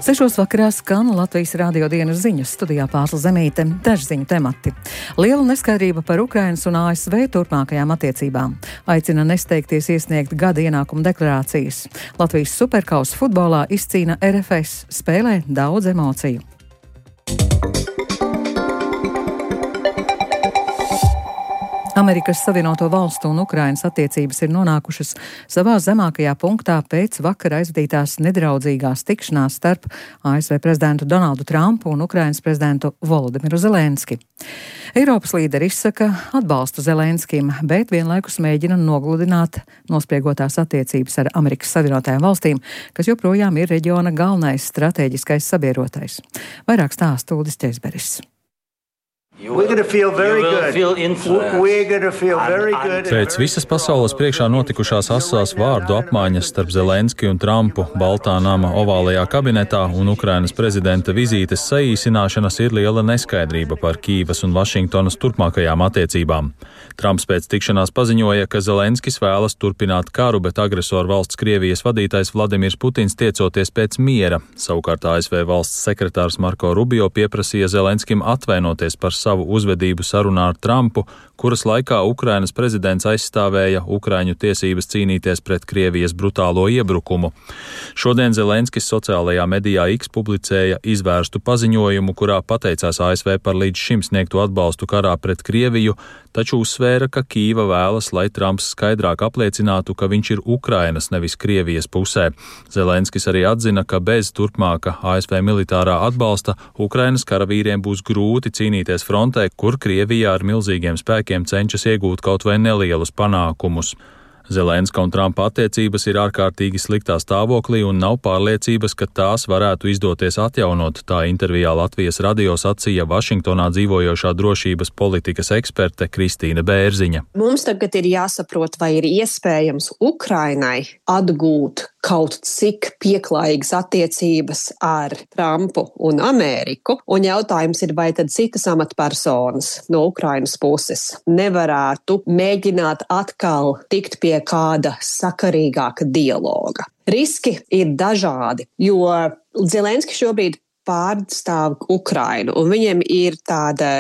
6 vakarā skan Latvijas radio dienas ziņas, studijā Pārsla Zemīte, daži ziņu temati. Liela neskaidrība par Ukrainas un ASV turpmākajām attiecībām. Aicina nesteigties iesniegt gada ienākumu deklarācijas. Latvijas superkausa futbolā izcīna RFS, spēlē daudz emociju. Amerikas Savienoto Valstu un Ukrainas attiecības ir nonākušas savā zemākajā punktā pēc vakar aizvadītās nedraudzīgās tikšanās starp ASV prezidentu Donaldu Trumpu un Ukrainas prezidentu Volodimiru Zelenski. Eiropas līderi izsaka atbalstu Zelenskim, bet vienlaikus mēģina nogludināt nospriegotās attiecības ar Amerikas Savienotajām valstīm, kas joprojām ir reģiona galvenais stratēģiskais sabiedrotais. Vairāk stāsta Uldis Ķezberis. Pēc visas pasaules priekšā notikušās asās vārdu apmaiņas starp Zelenski un Trumpu Baltā nama ovālajā kabinetā un Ukrainas prezidenta vizītes saīsināšanas ir liela neskaidrība par Kīvas un Vašingtonas turpmākajām attiecībām. Trumps pēc tikšanās paziņoja, ka Zelenskis vēlas turpināt karu, bet agresoru valsts Krievijas vadītājs Vladimirs Putins tiecoties pēc miera. Savukārt ASV valsts sekretārs Marko Rubio pieprasīja Zelenskim atvainoties par savu uzvedību sarunā ar Trumpu, kuras laikā Ukrainas prezidents aizstāvēja Ukraiņu tiesības cīnīties pret Krievijas brutālo iebrukumu. Šodien Zelenskis sociālajā medijā X publicēja izvērstu paziņojumu, kurā pateicās ASV par līdz šim sniegto atbalstu karā pret Krieviju, taču uzsvēra, ka Kīva vēlas, lai Trumps skaidrāk apliecinātu, ka viņš ir Ukrainas, nevis Krievijas pusē. Zelenskis arī atzina, ka bez turpmāka ASV militārā atbalsta Ukrainas karavīriem būs grūti cīnīties frontē, kur Krievijā ar milzīgiem spēkiem cenšas iegūt kaut vai nelielus panākumus. Zelenska un Trumpa attiecības ir ārkārtīgi sliktā stāvoklī un nav pārliecības, ka tās varētu izdoties atjaunot, tā intervijā Latvijas radio sacīja Vašingtonā dzīvojošā drošības politikas eksperte Kristīne Bērziņa. Mums tagad ir jāsaprot, vai ir iespējams Ukrainai atgūt kaut cik pieklājīgas attiecības ar Trumpu un Ameriku, un jautājums ir, vai tad citas amatpersonas no Ukrainas puses nevarētu mēģināt atkal tikt pie kāda sakarīgāka dialoga. Riski ir dažādi, jo Zelenski šobrīd pārstāv Ukrainu, un viņiem ir tāda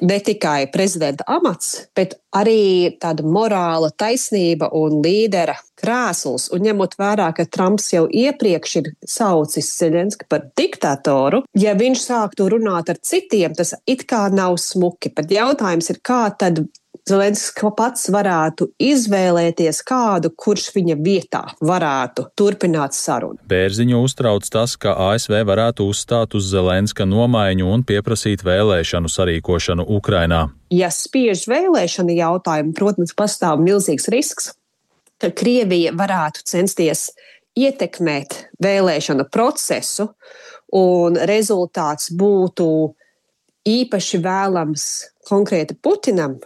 ne tikai prezidenta amats, bet arī tāda morāla taisnība un līdera krēsls. Un ņemot vērā, ka Trumps jau iepriekš ir saucis Zelenski par diktatoru, ja viņš sāktu runāt ar citiem, tas it kā nav smuki. Bet jautājums ir, kā tad Zelenskis pats varētu izvēlēties kādu, kurš viņa vietā varētu turpināt sarunu. Bērziņu uztrauc tas, ka ASV varētu uzstāt uz Zelenska nomaiņu un pieprasīt vēlēšanu sarīkošanu Ukrainā. Ja spiež vēlēšanu jautājumu, protams, pastāv milzīgs risks, ka Krievija varētu censties ietekmēt vēlēšanu procesu, un rezultāts būtu īpaši vēlams konkrēti Putinam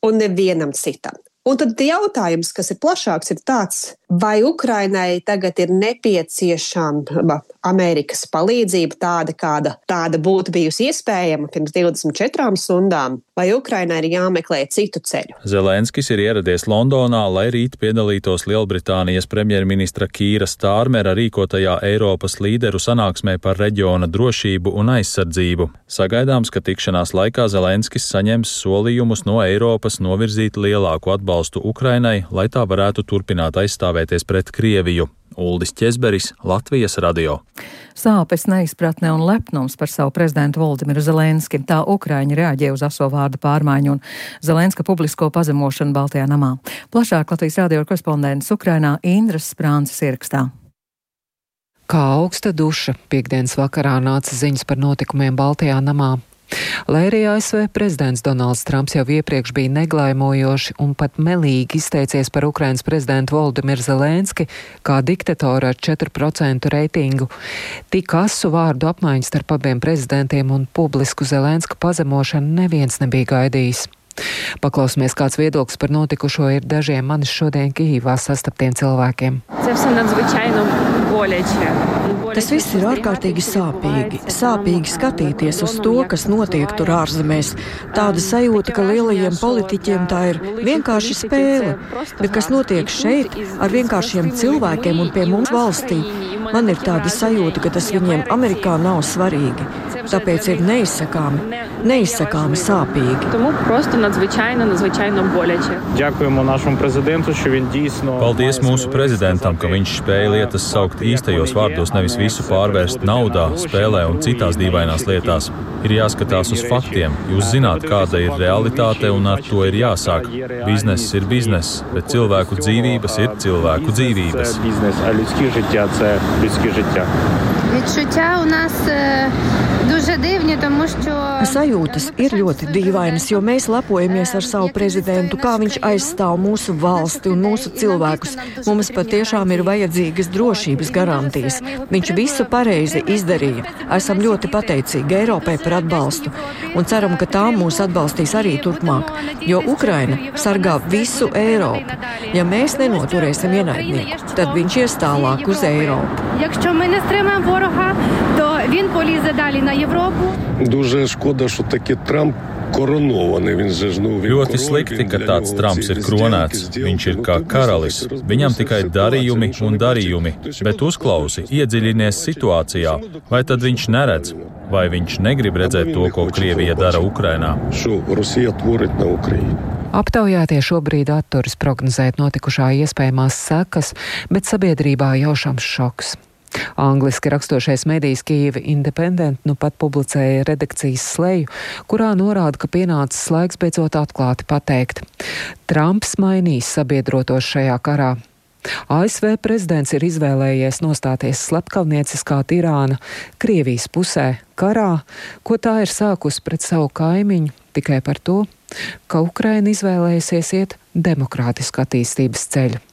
un nevienam citam. Un tad jautājums, kas ir plašāks, ir tāds, vai Ukrainai tagad ir nepieciešama Amerikas palīdzība tāda, kāda tāda būtu bijusi iespējama pirms 24 stundām, vai Ukrainai ir jāmeklē citu ceļu. Zelenskis ir ieradies Londonā, lai rīt piedalītos Lielbritānijas premjerministra Kīra Stārmera rīkotajā Eiropas līderu sanāksmē par reģiona drošību un aizsardzību. Sagaidāms, ka tikšanās laikā Zelenskis saņems solījumus no Eiropas novirzīt lielāku atbalstu Ukrainai, lai tā varētu turpināt aizstāvēties pret Krieviju. Uldis Ķezberis, Latvijas radio. Sāpes, neizpratne un lepnums par savu prezidentu Volodimiru Zelenski. Tā Ukraiņi reaģē uz aso vārdu pārmaiņu un Zelenska publisko pazemošanu Baltajā namā. Plašāk Latvijas radio korespondents Ukrainā Indras Sprānces ierakstā. Kā augsta duša, piektdienas vakarā nāca ziņas par notikumiem Baltajā namā. Lai arī ASV prezidents Donalds Trumps jau iepriekš bija neglaimojoši un pat melīgi izteicies par Ukrainas prezidentu Volodimiru Zelenski kā diktatoru ar 4% reitingu, tik asu vārdu apmaiņu starp abiem prezidentiem un publisku Zelenska pazemošanu neviens nebija gaidījis. Paklausīsimies, kāds viedoklis par notikušo ir dažiem manis šodien Kīvā sastaptiem cilvēkiem. Tas viss ir ārkārtīgi sāpīgi. Sāpīgi skatīties uz to, kas notiek tur ārzemēs. Tāda sajūta, ka lielajiem politiķiem tā ir vienkārši spēle, bet kas notiek šeit ar vienkāršiem cilvēkiem un pie mums valstī. Man ir tāda sajūta, ka tas viņiem Amerikā nav svarīgi. Tāpēc ir neizsakāmi sāpīgi. Paldies mūsu prezidentam, ka viņš spēja lietas saukt īstajos vārdos, nevis visu pārvērst naudā, spēlē un citās dīvainās lietās. Ir jāskatās uz faktiem. Jūs zināt, kāda ir realitāte, un ar to ir jāsāk. Bizness ir bizness, bet cilvēku dzīvības ir cilvēku dzīvības. Sajūtas ir ļoti dīvainas, jo mēs lepojamies ar savu prezidentu, kā viņš aizstāv mūsu valsti un mūsu cilvēkus. Mums patiešām ir vajadzīgas drošības garantijas. Viņš visu pareizi izdarīja. Esam ļoti pateicīgi Eiropai par atbalstu un ceram, ka tā mūs atbalstīs arī turpmāk, jo Ukraina sargā visu Eiropu. Ja mēs nenoturēsim ienaidnieku, tad viņš ies tālāk uz Eiropu. Дуже шкода, що таки Трамп koronovanий. Ļoti slikti, ka tāds Trumps ir kronēts. Viņš ir kā karalis. Viņam tikai darījumi un darījumi. Bet uzklausi, iedziļinies situācijā. Vai tad viņš neredz? Vai viņš negrib redzēt to, ko Krievija dara Ukrainā? Aptaujātie šobrīd atturas prognozēt notikušā iespējamās sekas, bet sabiedrībā jaušams šoks. Angliski rakstošais medijs Kyiv Independent nu pat publicēja redakcijas sleju, kurā norāda, ka pienācis laiks beidzot atklāti pateikt. Trumps mainīs sabiedrotos šajā karā. ASV prezidents ir izvēlējies nostāties slepkavnieciskā tirāna Krievijas pusē karā, ko tā ir sākusi pret savu kaimiņu tikai par to, ka Ukraina izvēlējusies iet demokrātisku attīstības ceļu.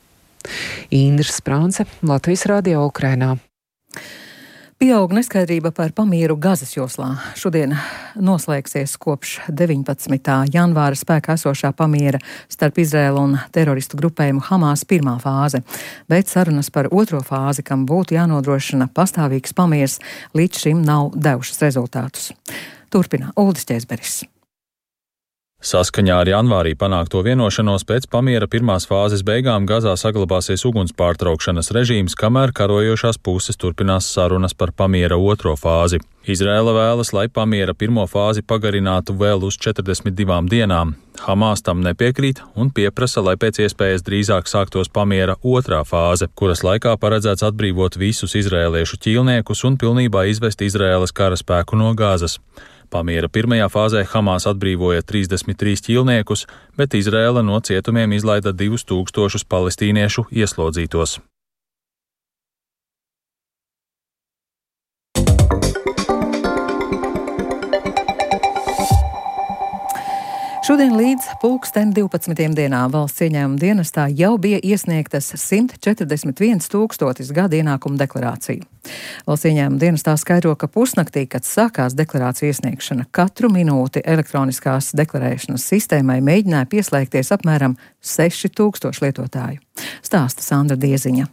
Indra Sprānce, Latvijas radio Ukrainā. Pieaug neskaidrība par pamieru Gazas joslā. Šodien noslēgsies kopš 19. janvāra spēkā esošā pamiera starp Izraēlu un teroristu grupējumu Hamas pirmā fāze, bet sarunas par otro fāzi, kam būtu jānodrošina pastāvīgs pamiers, līdz šim nav devušas rezultātus. Turpina Uldis Ķēzberis. Saskaņā ar janvārī panākto vienošanos pēc pamiera pirmās fāzes beigām Gazā saglabāsies uguns pārtraukšanas režīms, kamēr karojošās puses turpinās sarunas par pamiera otro fāzi. Izraēla vēlas, lai pamiera pirmo fāzi pagarinātu vēl uz 42 dienām. Hamas tam nepiekrīt un pieprasa, lai pēc iespējas drīzāk sāktos pamiera otrā fāze, kuras laikā paredzēts atbrīvot visus izraēliešu ķīlniekus un pilnībā izvest Izraēlas karaspēku no Gazas. Pamiera pirmajā fāzē Hamas atbrīvoja 33 ķīlniekus, bet Izraēla no cietumiem izlaida 2000 palestīniešu ieslodzītos. Šodien līdz 12. dienā valsts ieņēmuma dienestā jau bija iesniegtas 141 000 gada ienākumu deklarāciju. Valsts ieņēmuma dienestā skaidro, ka pusnaktī, kad sākās deklarāciju iesniegšana, katru minūti elektroniskās deklarēšanas sistēmai mēģināja pieslēgties apmēram 6000 lietotāju. Stāsta Sandra Dieziņa.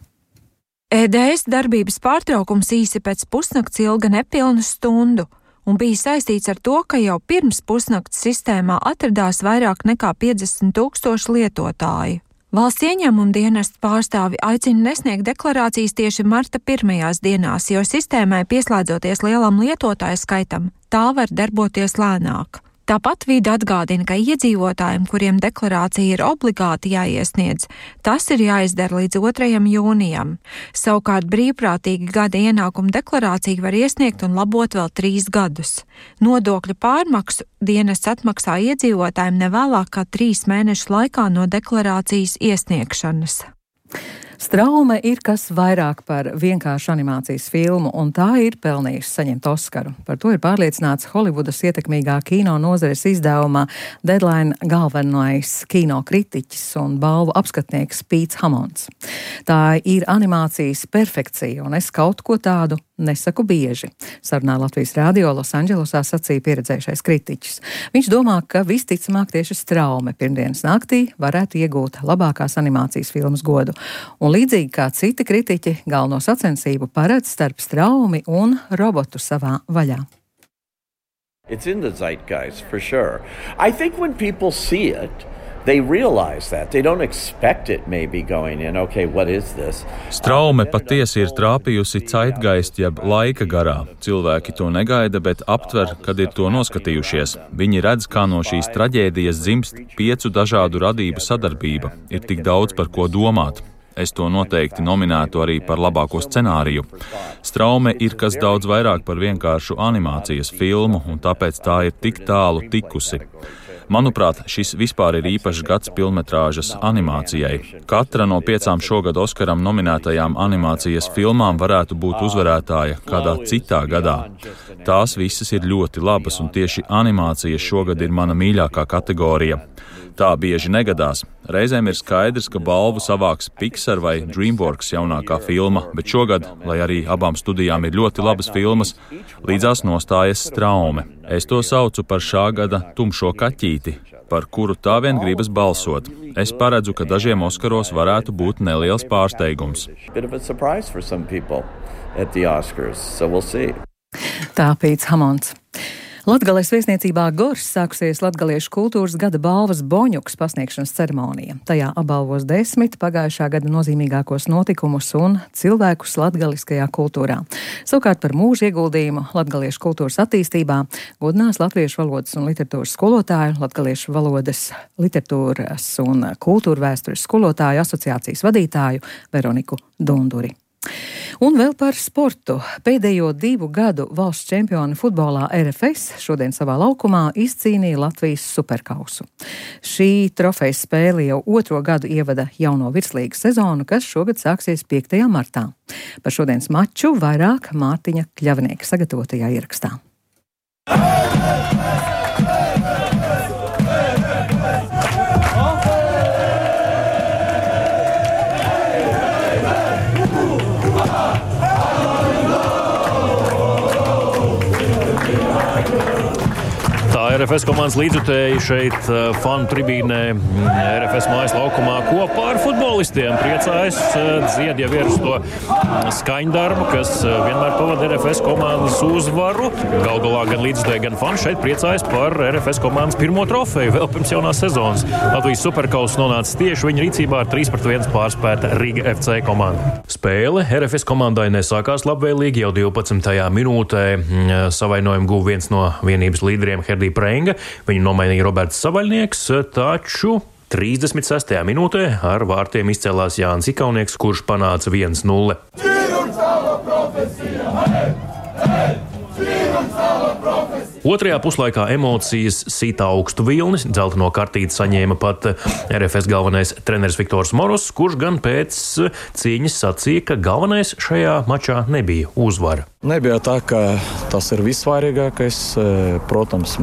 EDS darbības pārtraukums īsi pēc pusnakts ilga nepilnu stundu un bija saistīts ar to, ka jau pirms pusnakts sistēmā atradās vairāk nekā 50 000 lietotāju. Valsts ieņēmuma dienesta pārstāvi aicina nesniegt deklarācijas tieši marta pirmajās dienās, jo sistēmai pieslēdzoties lielam lietotāju skaitam, tā var darboties lēnāk. Tāpat vide atgādina, ka iedzīvotājiem, kuriem deklarācija ir obligāti jāiesniedz, tas ir jāizdara līdz 2. jūnijam. Savukārt brīvprātīgi gada ienākuma deklarāciju var iesniegt un labot vēl 3 gadus. Nodokļu pārmaksu dienests atmaksā iedzīvotājiem nevēlāk kā 3 mēnešu laikā no deklarācijas iesniegšanas. Straume ir kas vairāk par vienkāršu animācijas filmu, un tā ir pelnījusi saņemt Oskaru. Par to ir pārliecināts Holivudas ietekmīgā kino nozares izdevumā Deadline galvenais kino kritiķis un balvu apskatnieks Pīts Hamons. Tā ir animācijas perfekcija, un es kaut ko tādu nesaku bieži, sarunā Latvijas radio Losandželosā sacīja pieredzējušais kritiķis. Viņš domā, ka visticamāk tieši Straume pirmdienas naktī varētu iegūt labākās animācijas filmas godu. Un līdzīgi kā citi kritiķi, galveno sacensību paredz starp Straumi un robotu savā vaļā. It's in the zeitgeist, for sure. I think when people see it, Straume patiesi ir trāpījusi zeitgeist jeb laika garā. Cilvēki to negaida, bet aptver, kad ir to noskatījušies. Viņi redz, kā no šīs traģēdijas dzimst 5 dažādu radību sadarbība. Ir tik daudz par ko domāt. Es to noteikti nominētu arī par labāko scenāriju. Straume ir kas daudz vairāk par vienkāršu animācijas filmu, un tāpēc tā ir tik tālu tikusi. Manuprāt, šis vispār ir īpašs gads filmmetrāžas animācijai. Katra no 5 šogad Oskaram nominētajām animācijas filmām varētu būt uzvarētāja kādā citā gadā. Tās visas ir ļoti labas, un tieši animācija šogad ir mana mīļākā kategorija. Tā bieži negadās. Reizēm ir skaidrs, ka balvu savāks Pixar vai DreamWorks jaunākā filma, bet šogad, lai arī abām studijām ir ļoti labas filmas, līdzās nostājas Straume. Es to saucu par šā gada tumšo kaķīti, par kuru tā vien gribas balsot. Es paredzu, ka dažiem Oskaros varētu būt neliels pārsteigums. Tā Pīts Hamons. Latgales viesniecībā Gors sākusies Latgaliešu kultūras gada balvas Boņuks pasniegšanas ceremonija. Tajā apbalvos 10 pagājušā gada nozīmīgākos notikumus un cilvēkus latgaliskajā kultūrā. Savukārt par mūža ieguldījumu latgaliešu kultūras attīstībā godinās latviešu valodas un literatūras skolotāju, latgaliešu valodas, literatūras un kultūra vēstures skolotāju asociācijas vadītāju Veroniku Dunduri. Un vēl par sportu. Pēdējo 2 gadu valsts čempioni futbolā RFS šodien savā laukumā izcīnīja Latvijas superkausu. Šī trofejas spēle jau 2. gadu ievada jauno virslīgas sezonu, kas šogad sāksies 5. martā. Par šodienas maču vairāk Mārtiņa Kļavnieka sagatavotajā ierakstā. RFS komandas līdzjutēji šeit fanu tribīnē RFS mājas laukumā kopā ar futbolistiem priecājas, dzied jau ir uz to skaņdarbu, kas vienmēr pavada RFS komandas uzvaru. Gal galā gan līdzjutēji, gan fani šeit priecājas par RFS komandas pirmo trofeju vēl pirms jaunās sezonas. Latvijas superkaus nonāca tieši viņa rīcībā ar 3-1 pārspēta Riga FC komanda. Spēle RFS komandai nesākās labvēlīgi jau 12. minūtē. Savainojumu guva viens no vienības līderiem Herdī Prenga. Viņu nomainīja Roberts Savaļnieks, taču 36. minūtē ar vārtiem izcēlās Jānis Ikaunieks, kurš panāca 1-0. Otrajā puslaikā emocijas sita augstu vilni. Dzelteno kartīti saņēma pat RFS galvenais treneris Viktors Moros, kurš gan pēc cīņas sacīja, ka galvenais šajā mačā nebija uzvara. Nebija tā, ka tas ir vissvarīgākais. Protams,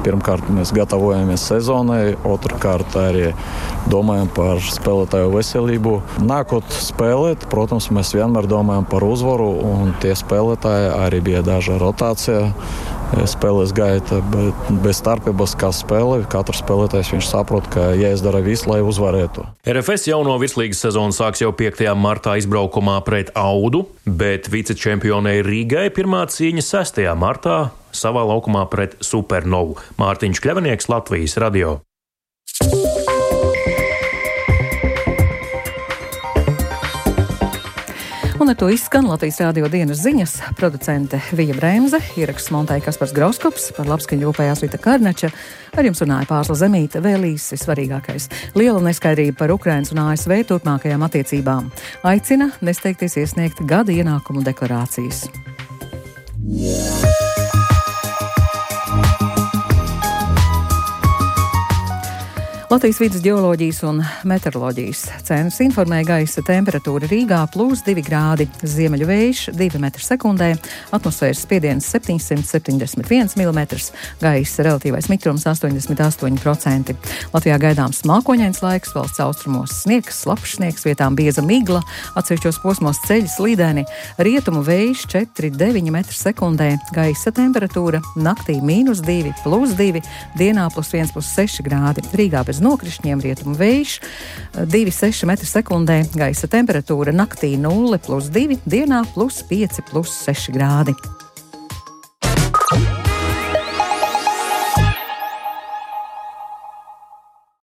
pirmkārt mēs gatavojamies sezonai, otrkārt arī domājam par spēlētāju veselību. Nākot spēlēt, protams, mēs vienmēr domājam par uzvaru, un tie spēlētāji arī bija daža rotācija spēles gaita, bet bez starpības kā spēle, katrs spēlētājs viņš saprot, ka jāizdara viss, lai uzvarētu. RFS jauno virslīgas sezonu sāks jau 5. martā izbraukumā pret Audu, bet vicečempionei Rīgai pirmā cīņa 6. martā savā laukumā pret Supernovu. Mārtiņš Kļavnieks, Latvijas radio. Un ar to izskan Latvijas radio dienas ziņas. Producente Vija Bremze, ieraksts montēja Kaspars Grauskops, par labskaņu rūpējās Vita Karnača. Ar jums runāja Pārsla Zemīte, vēl īsi svarīgākais. Liela neskaidrība par Ukrainas un ASV turpmākajām attiecībām. Aicina nesteigties iesniegt gada ienākumu deklarācijas. Latvijas vidas geoloģijas un meteoroloģijas centrs informēja gaisa temperatūra Rīgā +2 grādi, ziemeļu vējš 2 m/sekundē, atmosfēras spiediens 771 mm, gaisa relatīvais mitrums 88%. Latvijā gaidāms mākoņains laiks, valsts austrumos sniegs, slapjš sniegs, vietām bieza migla, atsevišķos posmos ceļi slīdēni, rietumu vējš 4,9 m/sekundē, gaisa temperatūra naktī -2, +2, dienā +1, +6 grādi. Rīgā bez nokrišņiem, rietumu vējš 2,6 m/sekundē, gaisa temperatūra naktī 0, +2, dienā +5, +6 grādi.